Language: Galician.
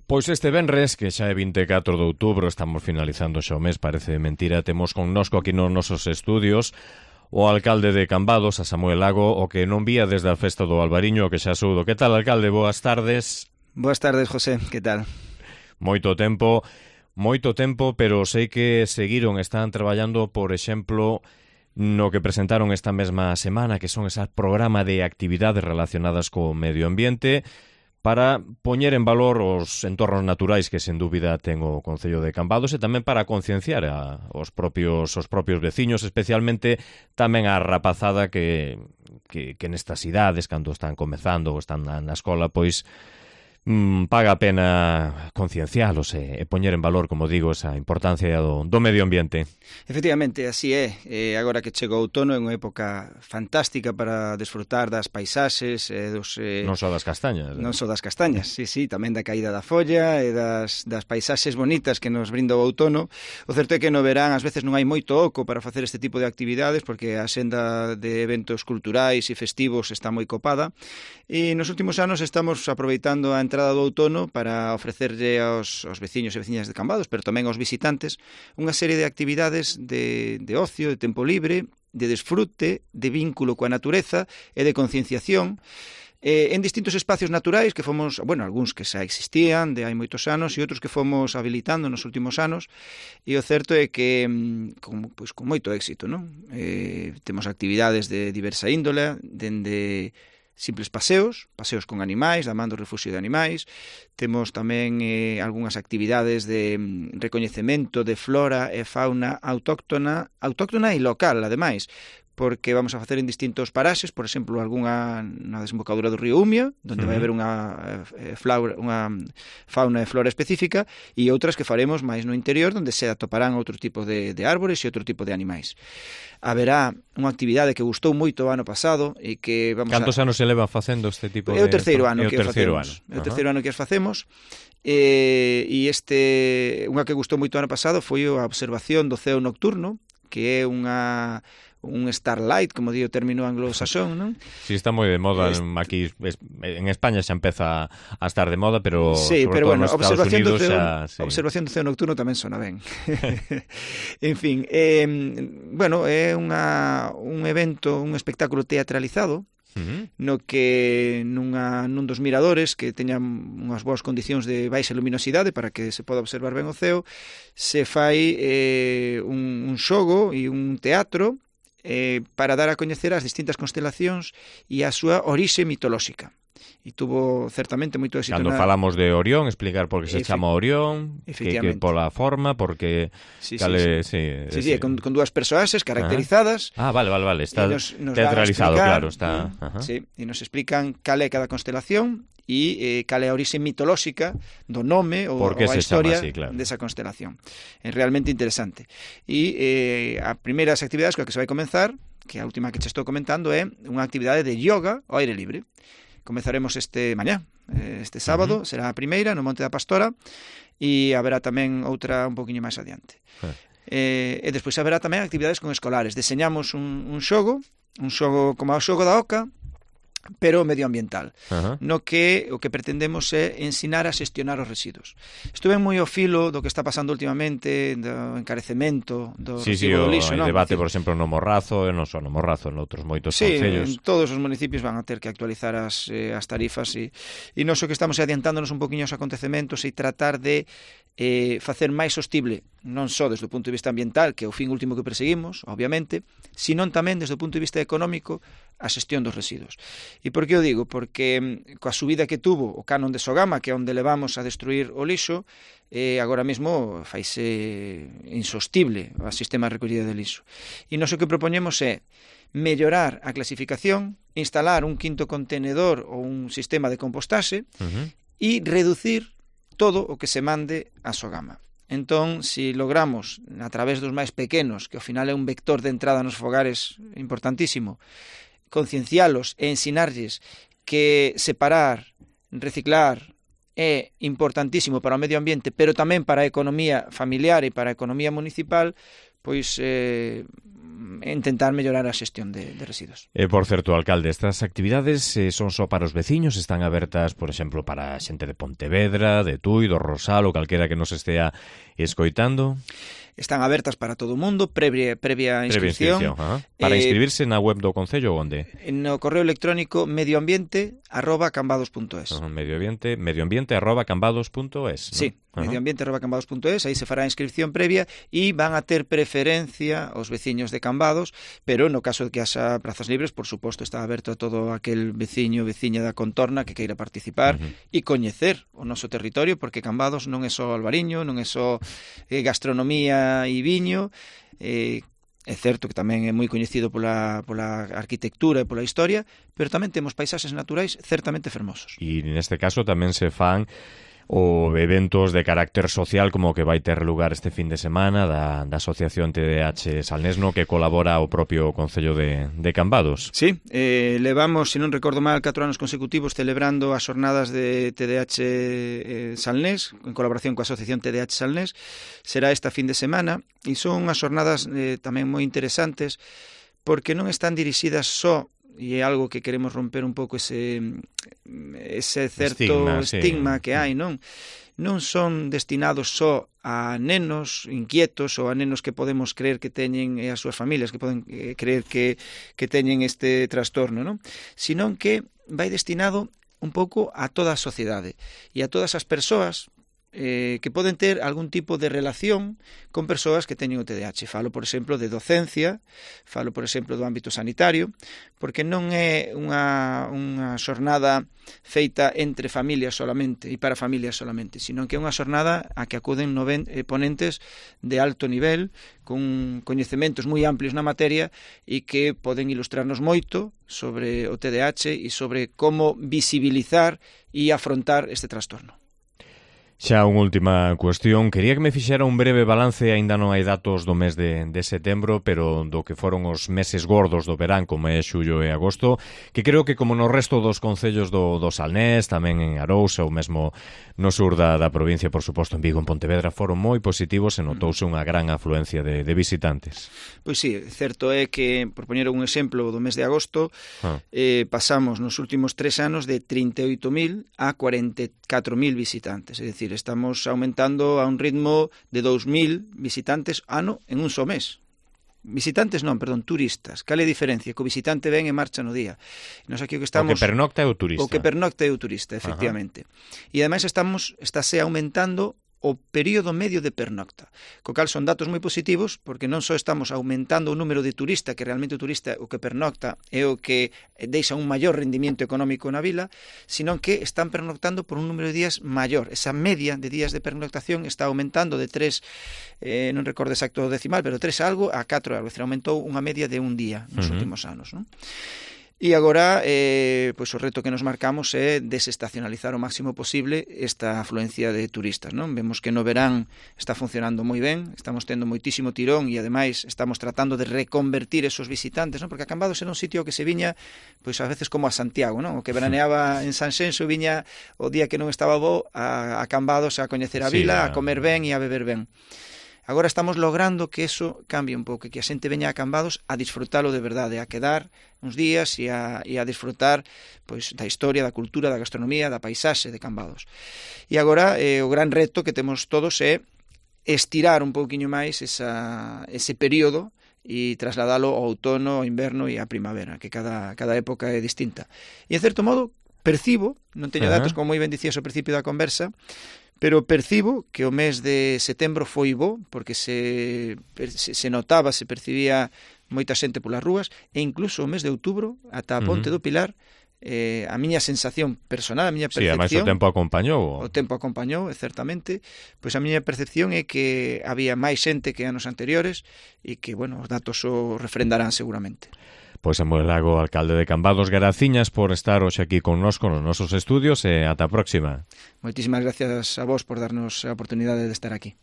Pois este venres, que xa é 24 de outubro, estamos finalizando xa o mes, parece mentira, temos connosco aquí nos nosos estudios o alcalde de Cambados, a Samuel Lago, o que non vía desde a festa do Albariño, que xa soudo. Que tal, alcalde? Boas tardes. Boas tardes, José. Que tal? Moito tempo, pero sei que seguiron, están traballando, por exemplo, no que presentaron esta mesma semana, que son esas programa de actividades relacionadas co medio ambiente, para poñer en valor os entornos naturais que, sen dúbida, ten o Concello de Cambados e tamén para concienciar os propios veciños, especialmente tamén a rapazada que nestas idades, cando están comezando ou están na escola, pois paga a pena conciencialos e poñer en valor, como digo, esa importancia do medio ambiente. Efectivamente, así é. Agora que chega o outono é unha época fantástica para desfrutar das paisaxes non só das castañas. Non só das castañas, sí, tamén da caída da folla e das paisaxes bonitas que nos brinda o outono. O certo é que no verán ás veces non hai moito oco para facer este tipo de actividades porque a senda de eventos culturais e festivos está moi copada e nos últimos anos estamos aproveitando a entrada do outono para ofrecerlle aos veciños e veciñas de Cambados, pero tamén aos visitantes, unha serie de actividades de ocio, de tempo libre, de desfrute, de vínculo coa natureza e de concienciación en distintos espacios naturais que fomos, algúns que xa existían de hai moitos anos e outros que fomos habilitando nos últimos anos, e o certo é que con moito éxito, non? Temos actividades de diversa índole, dende simples paseos con animais, da man do refugio de animais. Temos tamén algunhas actividades de recoñecemento de flora e fauna autóctona e local, ademais, porque vamos a facer en distintos paraxes, por exemplo, algunha na desembocadura do río Umia, onde vai haber unha fauna e flora específica, e outras que faremos máis no interior, onde se atoparán outro tipo de árbores e outro tipo de animais. Haberá unha actividade que gustou moito o ano pasado e que vamos Cantos anos se leva facendo este tipo de... É o terceiro ano que as facemos. E unha que gustou moito o ano pasado foi a observación do ceo nocturno, que é un starlight, como di o término anglosaxón, non? Sí, está moi de moda aquí en España, xa empeza a estar de moda, pero sí, sobre todo nos Estados Unidos a observación do ceo nocturno tamén sona ben. En fin, é un evento, un espectáculo teatralizado, no que nun dos miradores que teñan unhas boas condicións de baixa luminosidade para que se poda observar ben o ceo, se fai un xogo e un teatro para dar a coñecer as distintas constelacións e a súa orixe mitolóxica. E tuvo certamente moito éxito. Cando falamos de Orión, explicar por que se chama Orión, que pola forma, porque... Sí, con dúas persoaxes caracterizadas. Vale, está teatralizado, claro. Sí, e nos explican cal é cada constelación e cal é a orixe mitolóxica do nome ou a historia desa constelación. É realmente interesante. E as primeiras actividades coa que se vai comenzar, que a última que che estou comentando, é unha actividade de yoga ao aire libre. Comezaremos este sábado, será a primeira no Monte da Pastora, e haberá tamén outra un poquinho máis adiante. E despois haberá tamén actividades con escolares. Deseñamos un xogo como o xogo da oca, pero medioambiental, no que o que pretendemos é ensinar a xestionar os residuos. Estuve moi ao filo do que está pasando últimamente, do encarecemento do recibo do lixo. Sí, o debate, por exemplo, no Morrazo, e non só no Morrazo, noutros moitos concellos. Sí, todos os municipios van a ter que actualizar as tarifas e nós o que estamos adiantándonos un poquinho aos acontecementos e tratar de facer máis sostible, non só desde o punto de vista ambiental, que é o fin último que perseguimos, obviamente, senón tamén desde o punto de vista económico a xestión dos residuos. E por que o digo? Porque coa subida que tuvo o canon de Sogama, que é onde levamos a destruir o lixo, agora mesmo faise insostible o sistema de recollida de lixo. E nós o que propoñemos é mellorar a clasificación, instalar un quinto contenedor ou un sistema de compostaxe e reducir todo o que se mande a Sogama. Entón, se logramos, a través dos máis pequenos, que ao final é un vector de entrada nos fogares importantísimo, conciencialos e ensinarlles que separar, reciclar é importantísimo para o medio ambiente, pero tamén para a economía familiar e para a economía municipal, pois intentar mellorar a xestión de residuos. Por certo, alcalde, estas actividades son só para os veciños, están abertas, por exemplo, para a xente de Pontevedra, de Tui, do Rosal ou calquera que nos estea escoitando? Están abertas para todo o mundo, previa inscripción. Para inscribirse na web do Concello, onde? No correo electrónico medioambiente@cambados.es. Medioambiente@cambados.es, ¿no? Sí, medioambiente@cambados.es, aí se fará a inscripción previa e van a ter preferencia os veciños de Cambados, pero no caso de que haxa prazas libres, por suposto, está aberto a todo aquel veciño ou veciña da contorna que queira participar e coñecer o noso territorio, porque Cambados non é só albariño, non é só gastronomía e viño, é certo que tamén é moi coñecido pola arquitectura e pola historia, pero tamén temos paisaxes naturais certamente fermosos. E neste caso tamén se fan o eventos de carácter social como que vai ter lugar este fin de semana da Asociación TDH Salnesno, que colabora o propio Concello de Cambados. Sí, levamos, se non recordo mal, 4 anos consecutivos celebrando as xornadas de TDH Salnés, en colaboración coa Asociación TDH Salnés. Será esta fin de semana e son unhas xornadas tamén moi interesantes porque non están dirixidas só, e é algo que queremos romper un pouco ese certo estigma que hai, non son destinados só a nenos inquietos ou a nenos que podemos creer que teñen as súas familias, que poden creer que teñen este trastorno, non? Sino que vai destinado un pouco a toda a sociedade e a todas as persoas que poden ter algún tipo de relación con persoas que teñen o TDAH. Falo, por exemplo, de docencia, falo, por exemplo, do ámbito sanitario, porque non é unha xornada feita entre familias solamente e para familias solamente, sino que é unha xornada a que acuden ponentes de alto nivel, con coñecementos moi amplios na materia e que poden ilustrarnos moito sobre o TDAH e sobre como visibilizar e afrontar este trastorno. Xa unha última cuestión, quería que me fixera un breve balance, aínda non hai datos do mes de setembro, pero do que foron os meses gordos do verán, como é xullo e agosto, que creo que como no resto dos concellos do Salnés, tamén en Arousa ou mesmo no sur da provincia, por suposto en Vigo, en Pontevedra, foron moi positivos e notouse unha gran afluencia de visitantes. Pois sí, certo é que, por poñer un exemplo, do mes de agosto, pasamos nos últimos 3 anos de 38.000 a 44.000 visitantes, é dicir, estamos aumentando a un ritmo de 2.000 visitantes ano en un só mes. Visitantes non, perdón, turistas. Cal é a diferencia? Que o visitante ven e marcha no día. Nos aquí o que estamos... O que pernocta é o turista. O que pernocta é o turista, efectivamente. E ademais estáse aumentando o período medio de pernocta, co cal son datos moi positivos, porque non só estamos aumentando o número de turista, que realmente o turista o que pernocta é o que deixa un maior rendimiento económico na vila, sino que están pernoctando por un número de días maior. Esa media de días de pernoctación está aumentando de 3, non recordo exacto o decimal, pero 3 algo a 4 algo, é dicir, aumentou unha media de un día nos últimos anos, non? E agora, pois o reto que nos marcamos é desestacionalizar o máximo posible esta afluencia de turistas, non? Vemos que no verán está funcionando moi ben, estamos tendo moitísimo tirón e ademais estamos tratando de reconvertir esos visitantes, non? Porque a Cambados era un sitio que se viña, pois a veces como a Santiago, non? O que veraneaba en Sanxenxo viña o día que non estaba bo a Cambados a coñecer a vila, a comer ben e a beber ben. Agora estamos logrando que eso cambie un pouco, que a xente veña a Cambados a disfrutalo de verdade, a quedar uns días e a disfrutar pois da historia, da cultura, da gastronomía, da paisaxe de Cambados. E agora o gran reto que temos todos é estirar un pouquiño máis ese período e trasladalo ao outono, ao inverno e á primavera, que cada época é distinta. E en certo modo percibo, non teño datos como moi ben dicías ao principio da conversa, pero percibo que o mes de setembro foi bo, porque se notaba, se percibía moita xente polas rúas, e incluso o mes de outubro, ata a Ponte do Pilar, a miña sensación personal, a miña percepción... Sí, ademais o tempo acompañou. O tempo acompañou, certamente. Pois a miña percepción é que había máis xente que anos anteriores e que, bueno, os datos o refrendarán seguramente. Pois Samuel Lago, alcalde de Cambados, graciñas por estar hoxe aquí connosco nos nosos estudios e ata a próxima. Moitísimas gracias a vos por darnos a oportunidade de estar aquí.